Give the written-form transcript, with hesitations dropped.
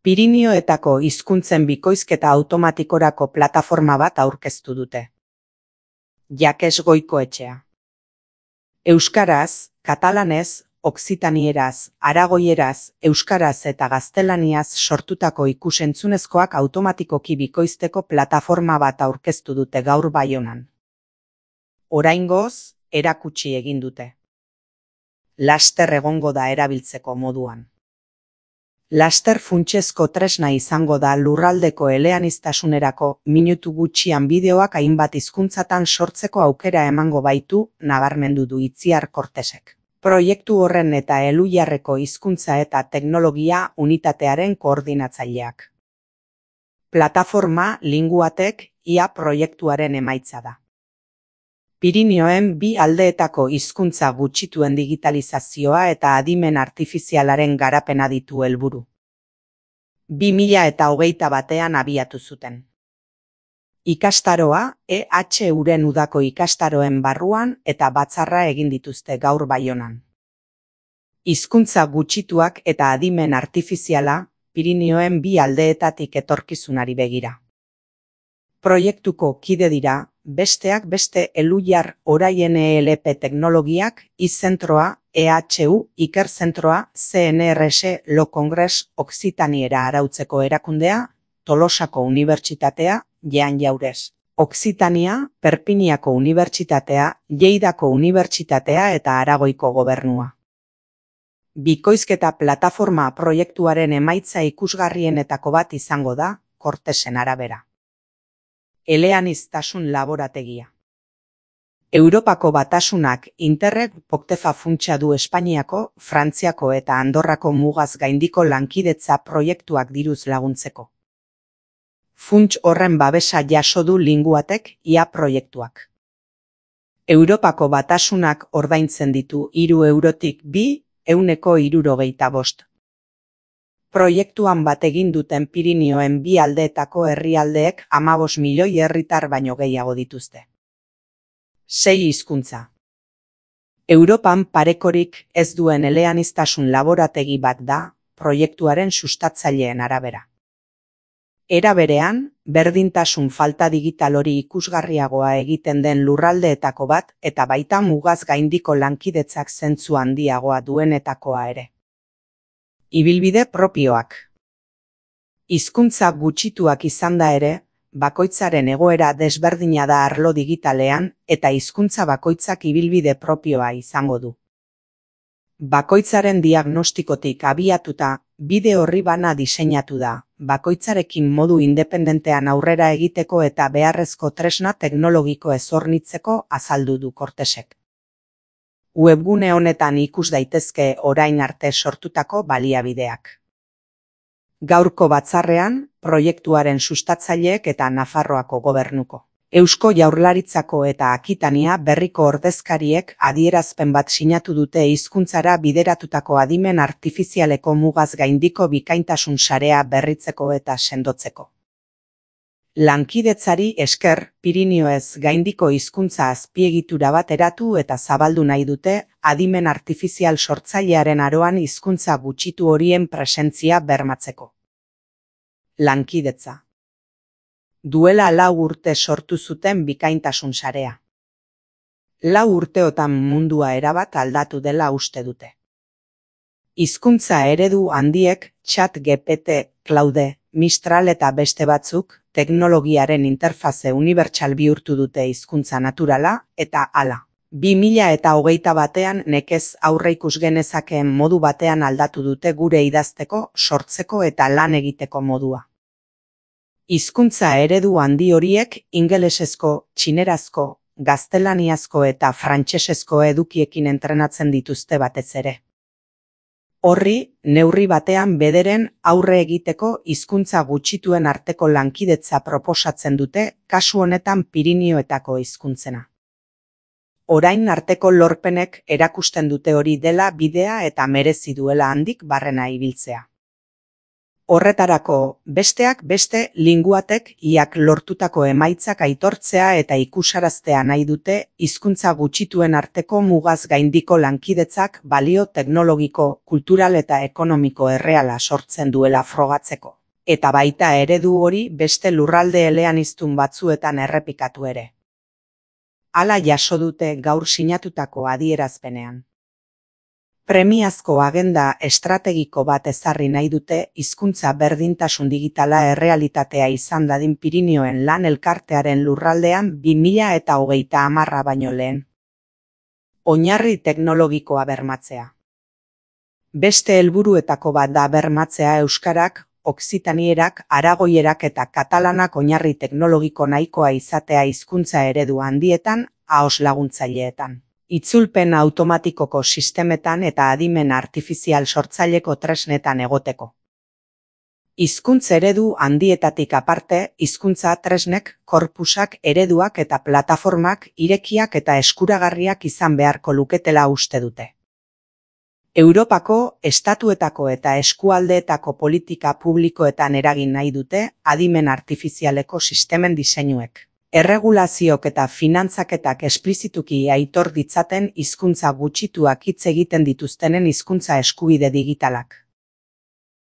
Pirinioetako hizkuntzen bikoizketa automatikorako plataforma bat aurkeztu dute. Jakes Goikoetxea. Euskaraz, katalanez, okzitanieraz, aragoieraz, euskaraz eta gaztelaniaz sortutako ikus-entzunezkoak automatikoki bikoizteko plataforma bat aurkeztu dute gaur Baionan. Oraingoz, erakutsi egin dute. Laster egongo da erabiltzeko moduan. Laster funtsezko tresna izango da lurraldeko eleaniztasunerako minutu gutxian bideoak hainbat hizkuntzatan sortzeko aukera emango baitu, nabarmendu du Itziar Kortesek. Proiektu horren eta Elhuyarreko hizkuntza eta teknologia unitatearen koordinatzaileak. Plataforma Linguatek IA proiektuaren emaitza da. Pirinioen bi aldeetako hizkuntza gutxituen digitalizazioa eta adimen artifizialaren garapena ditu helburu. 2021 abiatu zuten. Ikastaroa, EHUren udako ikastaroen barruan eta batzarra egin dituzte gaur Baionan. Hizkuntza gutxituak eta adimen artifiziala, Pirinioen bi aldeetatik etorkizunari begira. Proiektuko kide dira, besteak beste Elhuyar Orain ELP Teknologiak, izentroa, EHU, Ikerzentroa, CNRS, Lo Congress Okzitaniera arautzeko erakundea, Tolosako Unibertsitatea, Jean Jaurès, Okzitania, Perpiniako Unibertsitatea, Lleidako Unibertsitatea eta Aragoiko Gobernua. Bikoizketa plataforma proiektuaren emaitza ikusgarrienetako bat izango da, Kortesen arabera. Eleaniztasun laborategia. Europako Batasunak Interreg Poctefa funtsa du Espainiako, Frantziako eta Andorrako mugaz gaindiko lankidetza proiektuak diruz laguntzeko. Funts horren babesa jaso du Linguatek IA proiektuak. Europako Batasunak ordaintzen ditu 3 eurotik 2,65 €. Proiektuan bat egin duten Pirinioen bi aldeetako herrialdeek 15 milioi herritar baino gehiago dituzte. 6 hizkuntza. Europan parekorik ez duen eleaniztasun laborategi bat da, proiektuaren sustatzaileen arabera. Era berean, berdintasun falta digital hori ikusgarriagoa egiten den lurraldeetako bat eta baita mugaz gaindiko lankidetzak zentzu handiagoa duenetakoa ere. Ibilbide propioak. Hizkuntza gutxituak izanda ere, bakoitzaren egoera desberdina da arlo digitalean eta hizkuntza bakoitzak ibilbide propioa izango du. Bakoitzaren diagnostikotik abiatuta, bide horri bana diseinatu da, bakoitzarekin modu independentean aurrera egiteko eta beharrezko tresna teknologiko ezornitzeko azaldu du Kortesek. Webgune honetan ikus daitezke orain arte sortutako baliabideak. Gaurko batzarrean, proiektuaren sustatzaileek eta Nafarroako Gobernuko, Eusko Jaurlaritzako eta Akitania berriko ordezkariek adierazpen bat sinatu dute hizkuntzara bideratutako adimen artifizialeko mugaz gaindiko bikaintasun sarea berritzeko eta sendotzeko. Lankidetzari esker, Pirinioez gaindiko hizkuntza azpiegitura bat eratu eta zabaldu nahi dute, adimen artifizial sortzailearen aroan hizkuntza gutxitu horien presentzia bermatzeko. Lankidetza. Duela 4 urte sortu zuten bikaintasun sarea. 4 urteotan mundua erabat aldatu dela uste dute. Hizkuntza eredu handiek, ChatGPT, Claude, Mistral eta beste batzuk, teknologiaren interfaze unibertsal bihurtu dute hizkuntza naturala, eta hala. 2021 nekez aurreikus genezakeen modu batean aldatu dute gure idazteko, sortzeko eta lan egiteko modua. Hizkuntza eredu handi horiek ingelesezko, txinerazko, gaztelaniazko eta frantsesezko edukiekin entrenatzen dituzte batez ere. Horri, neurri batean bederen aurre egiteko hizkuntza gutxituen arteko lankidetza proposatzen dute, kasu honetan Pirinioetako hizkuntzena. Orain arteko lorpenek erakusten dute hori dela bidea eta merezi duela handik barrena ibiltzea. Horretarako, besteak beste, linguatek iak lortutako emaitzak aitortzea eta ikusaraztea nahi dute hizkuntza gutxituen arteko mugaz gaindiko lankidetzak balio teknologiko, kultural eta ekonomiko erreala sortzen duela frogatzeko. Eta baita eredu hori beste lurralde eleaniztun batzuetan errepikatu ere. Hala jaso dute gaur sinatutako adierazpenean. Premiazko agenda estrategiko bat ezarri nahi dute hizkuntza berdintasun digitala errealitatea izan dadin Pirinioen lan elkartearen lurraldean 2030 baino lehen. Oinarri teknologikoa bermatzea. Beste helburuetako bat da bermatzea euskarak, okzitanierak, aragoierak eta katalanak oinarri teknologiko nahikoa izatea hizkuntza eredu handietan, ahoz laguntzaileetan. Itzulpen automatikoko sistemetan eta adimen artifizial sortzaileko tresnetan egoteko. Hizkuntz eredu handietatik aparte, hizkuntza tresnek, korpusak, ereduak eta plataformak irekiak eta eskuragarriak izan beharko luketela uste dute. Europako, estatuetako eta eskualdeetako politika publikoetan eragin nahi dute adimen artifizialeko sistemen diseinuek. Erregulaziok eta finantzaketak esplizituki aitor ditzaten hizkuntza gutxituak hitz egiten dituztenen hizkuntza eskubide digitalak.